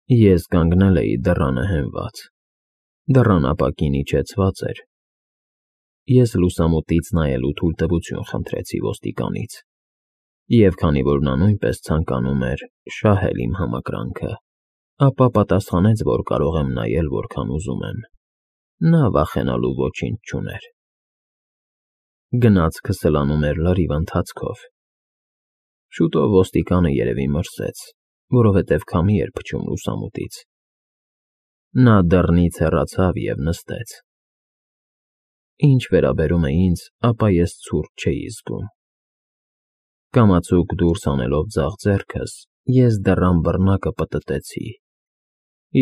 Ես կանգնել էի դռանը հենված, դռան ապակին իջեցված էր, ես լուսամուտից նայելու թույլտվություն խնդրեցի ոստիկանից, և քանի որ նա նույնպես ցանկանում էր շահել իմ համակրանքը, ապա պատասխանեց, որ կարող եմ նայել որքան ուզում եմ, նա վախենալու ոչինչ չուներ։ Գնացքը սլանում էր լրիվ ընթացքով։ Շուտով ոստիկանը երևի մրսեց, որովհետև քամի էր փչում լուսամուտից։ Նա դռնից հեռացավ և նստեց։ Ինչ վերաբերում է ինձ, ապա ես ցուրտ չէի զգում։ Կամացուկ դուրս հանելով ձախ ձեռքս, ես դռան բռնակը պտտեցի,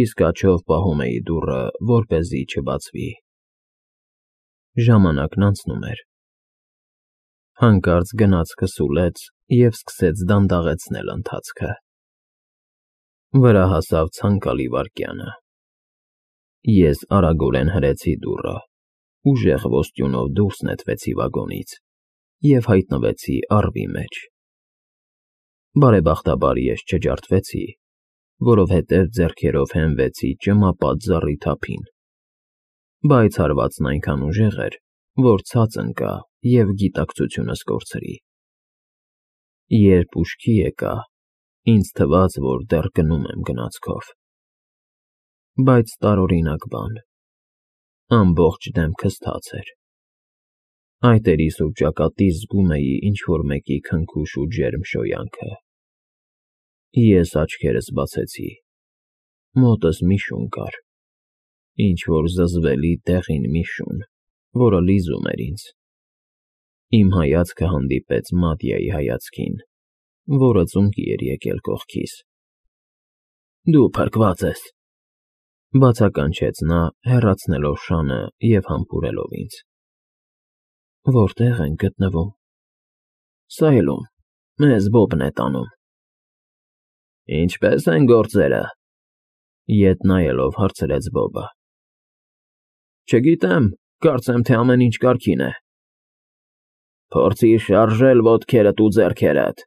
իսկ աջով պահում էի դուռը, որպեսզի չբացվի։ Ժամանակն անցնում էր։ Հանկարծ գնացքը սուլեց և սկսեց դանդաղեցնել ընթացքը։ Վրա հասավ ցանկալի վայրկյանը։ Ես արագորեն հրեցի դուռը, ուժեղ ոստյունով դուրս նետվեցի վագոնից և հայտնվեցի առվի մեջ։ Բարեբախտաբար ես չջարդվեցի, որովհետև ձեռքերով հենվեցի ճմապատ զառիթափին, բայց հարվածն այնքան ուժեղ էր, որ ցած ընկա և գիտակցությունս կորցրի։ Երբ ուշքի եկա, ինձ թվաց, որ դեռ գնում եմ գնացքով։ Բայց տարօրինակ բան, ամբողջ դեմքս թաց էր։ Այտերիս ու ճակատիս զգում էի ինչ֊որ մեկի քնքուշ ու ջերմ շոյանքը։ Ես աչքերս բացեցի, մոտս մի շուն կար, ինչ֊որ զզվելի դեղին մի շուն, որը լիզում էր ինձ։ Իմ հայացքը հանդիպեց Մատյայի հայացքին, որը ծունկի էր եկել կողքիս։ «Դու փրկված ես», բացականչեց նա, հեռացնելով շանը և համբուրելով ինձ։ «Որտե՞ղ ենք գտնվում»։ «Սայլում, մեզ Բոբն է տանում»։ «Ինչպե՞ս են գործերը», ետ նայելով հարցրեց Բոբը։ «Չգիտեմ, կարծեմ, թե ամեն ինչ կարգին է»։ «Փորձիր շարժել ոտքերդ ու ձեռքերդ»,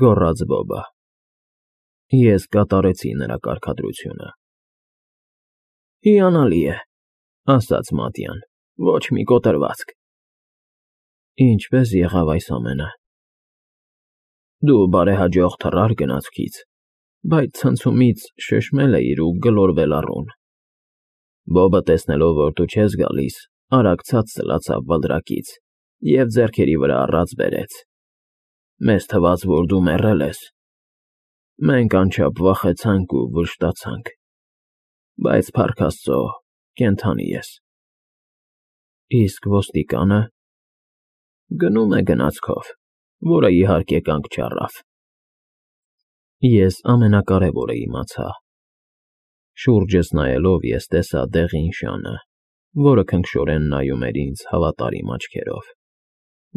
գոռաց Բոբը։ Ես կատարեցի նրա կարգադրությունը։ «Հիանալի է», ասաց Մատյան, «ոչ մի կոտրվածք»։ «Ինչպե՞ս եղավ այս ամենը»։ «Դու բարեհաջող թռար գնացքից, բայց ցնցումից շշմել էիր ու գլորվել առուն։ Բոբը, տեսնելով, որ դու չես գալիս, արագ ցած սլացավ բլրակից և ձեռքերի վրա առած բերեց։ Մեզ թվաց, որ դու մեռել ես։ Մենք անչափ վախեցանք ու վշտացանք, բայց փառք Աստծո, կենդանի ես»։ «Իսկ ոստիկանը»։ «Գնում է գնացքով, որը, իհարկե, կանգ չառավ»։ Ես ամենակարևորը իմացա։ Շուրջս նայելով ես տեսա դեղին շանը, որը քնքշորեն նայում էր ինձ հավատարիմ աչքերով,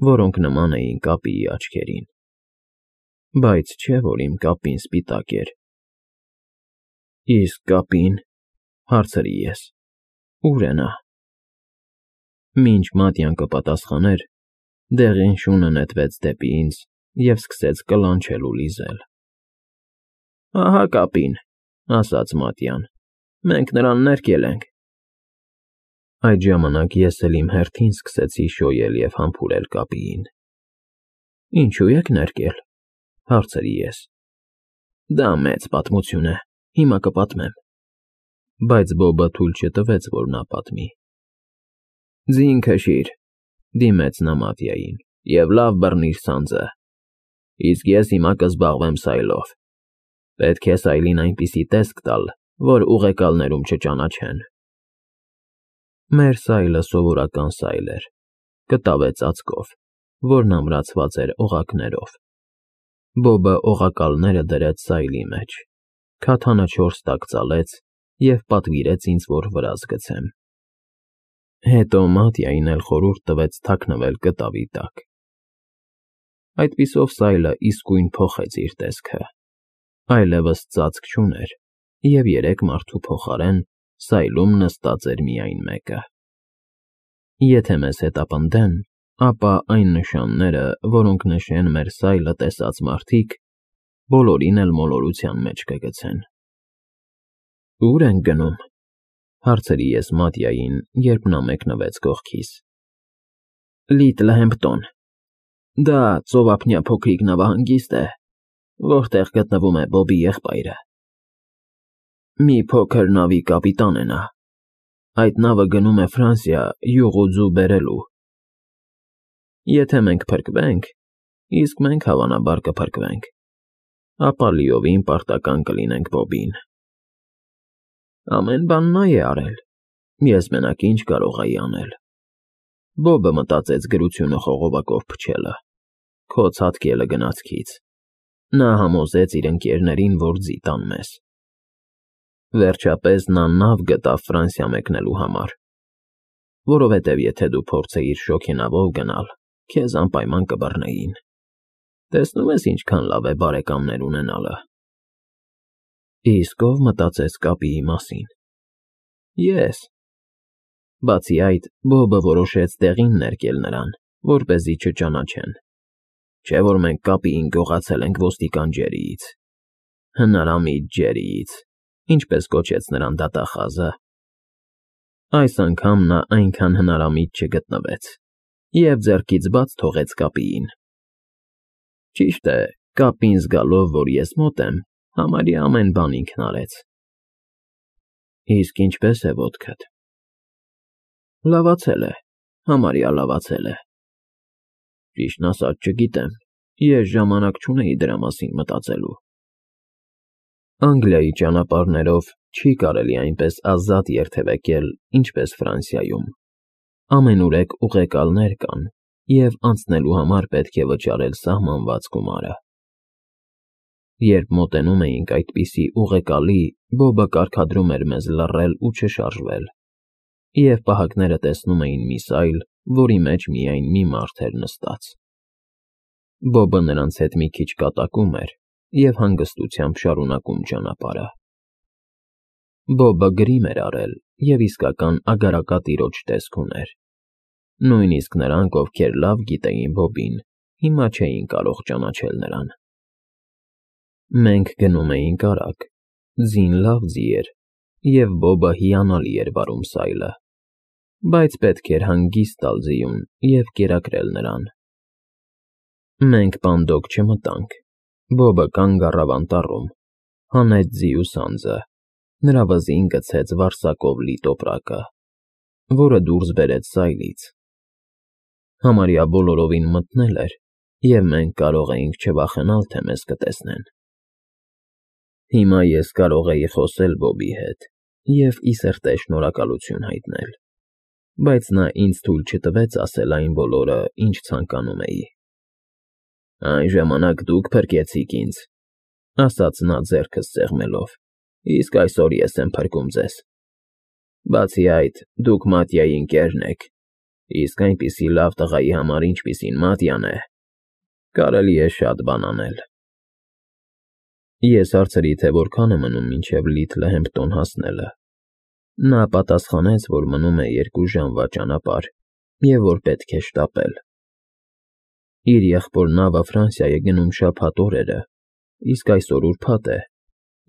որոնք նման էին կապիի աչքերին, բայց չէ՞ որ իմ կապին սպիտակ էր։ «Իսկ կապին»։ Հարցրի ես, «Ո՞ւր է նա»։ Մինչ Մատյան կպատասխաներ, դեղին շունը նետվեց դեպի ինձ և սկսեց կլանչել ու լիզել։ «Ահա կապին», ասաց Մատյան, «մենք նրան ներկել ենք»։ Այդ ժամանակ ես էլ իմ հերթին սկսեցի շոյել և համբուրել կապիին։ «Ինչու եք ներկել»։ Հարցրի ես։ «Դա մեծ պատմություն է, հիմա կպատմեմ»։ Բայց Բոբը թույլ չտվեց, որ նա պատմի։ «Ձին քշիր», դիմեց նա Մատյային, «և լավ բռնիր սանձը, իսկ ես հիմա կզբաղվեմ սայլով։ Պետք է սայլին այնպիսի տեսք տալ, որ ուղեկալներում չճանաչեն»։ Մեր սայլը սովորական սայլ էր, կտավե ծածկով, որն ամրացված էր օղակներով։ Բոբը օղակալները դրեց սայլի մեջ, քաթանը 4 տակ ծալեց և պատվիրեց ինձ, որ վրաս գցեմ։ Հետո Մատյային էլ խորհուրդ տվեց թաքնվել կտավի տակ։ Այդպիսով սայլը իսկույն փոխեց իր տեսքը, այլևս ծածկ չուներ, և 3 մարդու փոխարեն սայլում նստած էր միայն մեկը։ Եթե մեզ հետապնդեն, ապա այն նշանները, որոնք նշեն մեր սայլը տեսած մարդիկ, բոլորին էլ մոլորության մեջ կգցեն։ Ուր ենք գնում, հարցրի ես Մատիային, երբ նա մեկնվեց կողքիս։ Լիտլհեմպտոն, դա ծովափնյա փոքրիկ նավահանգիստ է, որտեղ գտնվում է Բոբի եղբայրը։ Մի փոքր նավի կապիտան է նա, այդ նավը գնում է Ֆրանսիա յուղ ու ձու բերելու։ Եթե մենք փրկվենք, իսկ մենք հավանաբար կփրկվենք, ապա լիովին պարտական կլինենք Բոբին։ Ամեն բան նա է արել, ես մենակ ինչ կարող էի անել։ Բոբը մտածեց գրությունը խողովակով փչելը, քո ցատկելը գնացքից։ Նա համոզեց իր ընկերներին, որ ձի տան մեզ։ Վերջապես նա նավ գտավ Ֆրանսիա մեկնելու համար, որովհետև եթե դու փորձեիր շոգենավով գնալ, քեզ անպայման կբռնեին։ Տեսնում ես ինչքան լավ է բարեկամներ ունենալը։ Իսկ ով մտածեց կապիի մասին։ Ես։ Բացի այդ, Բոբը որոշեց տեղին ներկել նրան, որպեսզի չճանաչեն։ Չէ՞ որ մենք կապիին գողացել ենք ոստիկան Ջերիից։ Հնարամիտ Ջերիից, ինչպես կոչեց նրան դատախազը։ Այս անգամ նա այնքան հնարամիտ չգտնվեց և ձեռքից բաց թողեց կապիին։ Ճիշտ է, կապին զգալով, որ ես մոտ եմ, համարյա ամեն բան ինքն արեց։ Իսկ ինչպե՞ս է ոտքդ։ Լավացել է, համարյա լավացել է։ Ճիշտն ասած չգիտեմ, ես ժամանակ չունեի դրա մասին մտածելու։ Անգլիայի ճանապարհներով չի կարելի այնպես ազատ երթևեկել, ինչպես Ֆրանսիայում։ Ամենուրեք ուղեկալներ կան, և անցնելու համար պետք է վճարել սահմանված գումարը։ Երբ մոտենում էինք այդպիսի ուղեկալի, Բոբը կարգադրում էր մեզ լռել ու չշարժվել, և պահակները տեսնում էին մի սայլ, որի մեջ միայն մի մարդ էր նստած։ Բոբը նրանց հետ մի քիչ կատակում էր և հանգստությամբ շարունակում ճանապարհը։ Բոբը գրիմ էր արել և իսկական ագարակատիրոջ տեսք ուներ։ Նույնիսկ նրանք, ովքեր լավ գիտեին Բոբին, հիմա չէին կարող ճանաչել նրան։ Մենք գնում էինք արագ, ձին լավ ձի էր, և Բոբը հիանալի էր վարում սայլը, բայց պետք էր հանգիստ տալ ձիուն և կերակրել նրան։ Մենք պանդոկ չմտանք։ Բոբը կանգ առավ անտառում, հանեց ձիու սանձը, նրա վզին գցեց վարսակով լի տոպրակը, որը դուրս բերեց սայլից։ Համարյա բոլորովին մթնել էր, և մենք կարող էինք չվախենալ, թե մեզ կտեսնեն։ Հիմա ես կարող էի խոսել Բոբի հետ և ի սրտե շնորհակալություն հայտնել, բայց նա ինձ թույլ չտվեց ասել այն բոլորը, ինչ ցանկանում էի։ Այն ժամանակ դուք փրկեցիք ինձ, ասաց նա ձեռքս սեղմելով, իսկ այսօր ես եմ փրկում ձեզ։ Բացի այդ, դուք Մատիայի ընկերն եք, իսկ այնպիսի լավ տղայի համար, ինչպիսին Մատյան է, կարելի է շատ բան անել։ Ես հարցրի, թե որքան է մնում մինչև Լիթլհեմպտոն հասնելը։ Նա պատասխանեց, որ մնում է 2 ժամվա ճանապարհ և որ պետք է շտապել։ Իր եղբոր նավը Ֆրանսիա է գնում շաբաթ օրերը, իսկ այսօր ուրբաթ է,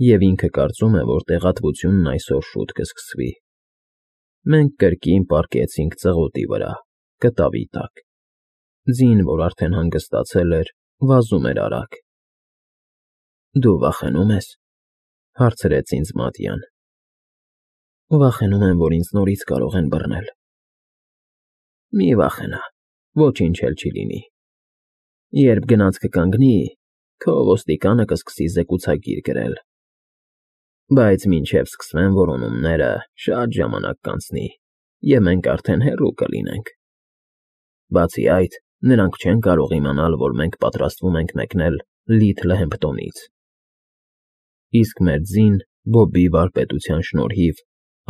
և ինքը կարծում է, որ տեղատվությունն այսօր շուտ կսկսվի։ Մենք կրկին պառկեցինք ծղոտի վրա, կտավի տակ։ Ձին, որ արդեն հանգստացել էր, վազում էր արագ։ Դու վախենու՞մ ես, հարցրեց ինձ Մատյան։ Վախենում եմ, որ ինձ նորից կարող են բռնել։ Մի վախենա, ոչինչ էլ չի լինի։ Երբ գնացքը կանգնի, քո ոստիկանը կսկսի զեկուցագիր գրել։ Բայց մինչև սկսվեն որոնումները, շատ ժամանակ կանցնի, և մենք արդեն հեռու կլինենք։ Բացի այդ, նրանք չեն կարող իմանալ, որ մենք պատրաստվում ենք մեկնել Լիթլհեմպտոնից։ Իսկ մեր ձին, Բոբի վարպետության շնորհիվ,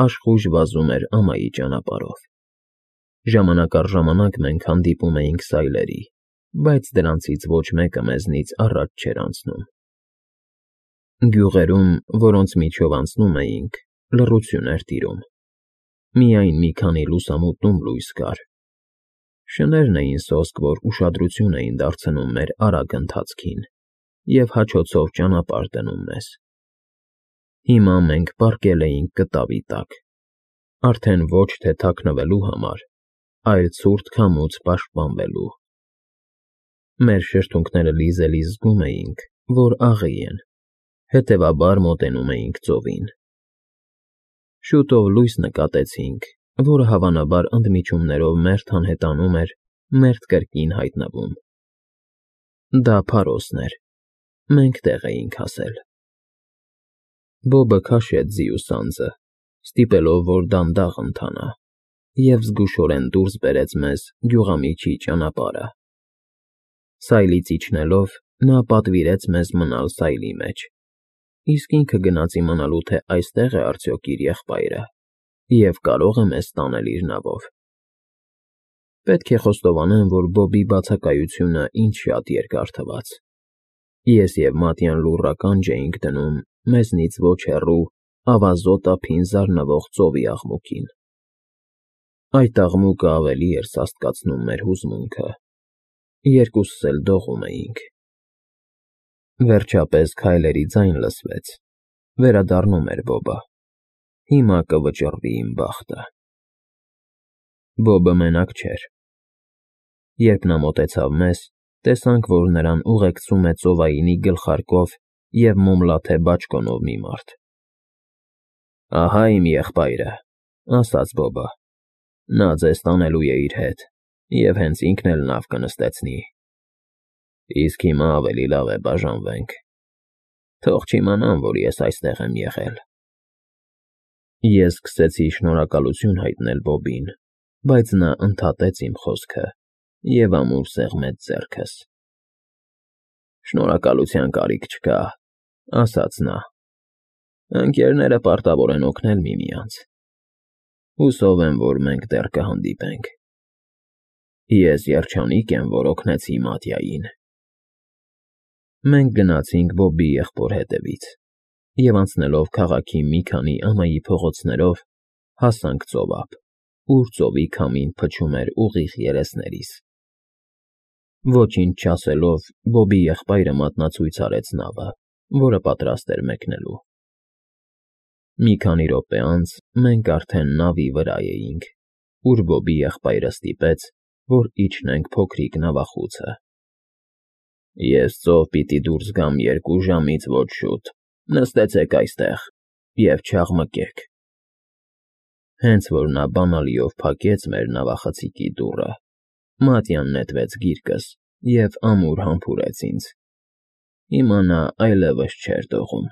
աշխույժ վազում էր ամայի ճանապարհով։ Ժամանակ առ ժամանակ մենք հանդիպում էինք սայլերի, բայց դրանցից ոչ մեկը մեզնից առաջ չէր անցնում։ Գյուղերում, որոնց միջով անցնում էինք, լռություն էր տիրում։ Միայն մի քանի լուսամուտում լույս կար։ Շներն էին սոսկ, որ ուշադրություն էին դարձնում մեր արագ ընթացքին և հաչոցով ճանապարհ դնում մեզ։ Հիմա մենք պառկել էինք կտավի տակ, արդեն ոչ թե թաքնվելու համար, այլ ցուրտ քամուց պաշտպանվելու։ Մեր շրթունքները լիզելիս զգում էինք, որ աղի են, հետևաբար մոտենում էինք ծովին։ Շուտով լույս նկատեցինք, որը հավանաբար ընդմիջումներով մերթ անհետանում էր, մերթ կրկին հայտնվում։ Դա Փարոսն էր, մենք տեղ էինք հասել։ Բոբը քաշեց ձիու սանձը, ստիպելով, որ դանդաղ ընթանա, և զգուշորեն դուրս բերեց մեզ գյուղամիջի ճանապարհը։ Սայլից իջնելով՝ նա պատվիրեց մեզ մնալ սայլի մեջ, իսկ ինքը գնաց իմանալու, թե այստե՞ղ է արդյոք իր եղբայրը և կարո՞ղ է մեզ տանել իր նավով։ Պետք է խոստովանեմ, որ Բոբի բացակայությունը ինձ շատ երկար թվաց։ Ես և Մատյան լուռ ականջ էինք դնում մեզնից ոչ հեռու ավազոտ ափին զարնվող ծովի աղմուկին։ Այդ աղմուկը ավելի էր սաստկացնում մեր հուզմունքը։ Երկուսս էլ դողում էինք։ Վերջապես քայլերի ձայն լսվեց։ Վերադառնում էր Բոբը։ Հիմա կվճռվի իմ բախտը։ Բոբը մենակ չէր։ Երբ նա մոտեցավ մեզ, տեսանք, որ նրան ուղեկցում է ծովայինի գլխարկով և մոմլաթե բաճկոնով մի մարդ։ Ահա իմ եղբայրը, ասաց Բոբը։ Նա ձեզ տանելու է իր հետ և հենց ինքն էլ նավ կնստեցնի։ Իսկ հիմա ավելի լավ է բաժանվենք։ Թող չիմանան, որ ես այստեղ եմ եղել։ Ես սկսեցի շնորհակալություն հայտնել Բոբին, բայց նա ընդհատեց իմ խոսքը և ամուր սեղմեց ձեռքս։ Շնորհակալության կարիք չկա, ասաց նա։ Ընկերները պարտավոր են օգնել միմյանց։ Հուսով եմ, որ մենք դեռ կհանդիպենք։ Ես երջանիկ եմ, որ օգնեցի Մատյային։ Մենք գնացինք Բոբի եղբոր հետևից և անցնելով քաղաքի մի քանի ամայի փողոցներով հասանք ծովափ, ուր ծովի քամին փչում էր ուղիղ երեսներիս։ Ոչինչ չասելով, Բոբի եղբայրը մատնացույց արեց նավը, որը պատրաստ էր մեկնելու։ Մի քանի րոպե անց մենք արդեն նավի վրա էինք, ուր Բոբի եղբայրը ստիպեց, որ իջնենք փոքրիկ նավախուցը։ Ես ծով պիտի դուրս գամ 2 ժամից ոչ շուտ, նստեցեք այստեղ և չաղմկեք։ Հենց որ նա բանալիով փակեց մեր նավախցիկի դուռը, Մատյան նետվեց գիրկս և ամուր համբուրեց ինձ։ Հիմա նա այլևս չէր դողում։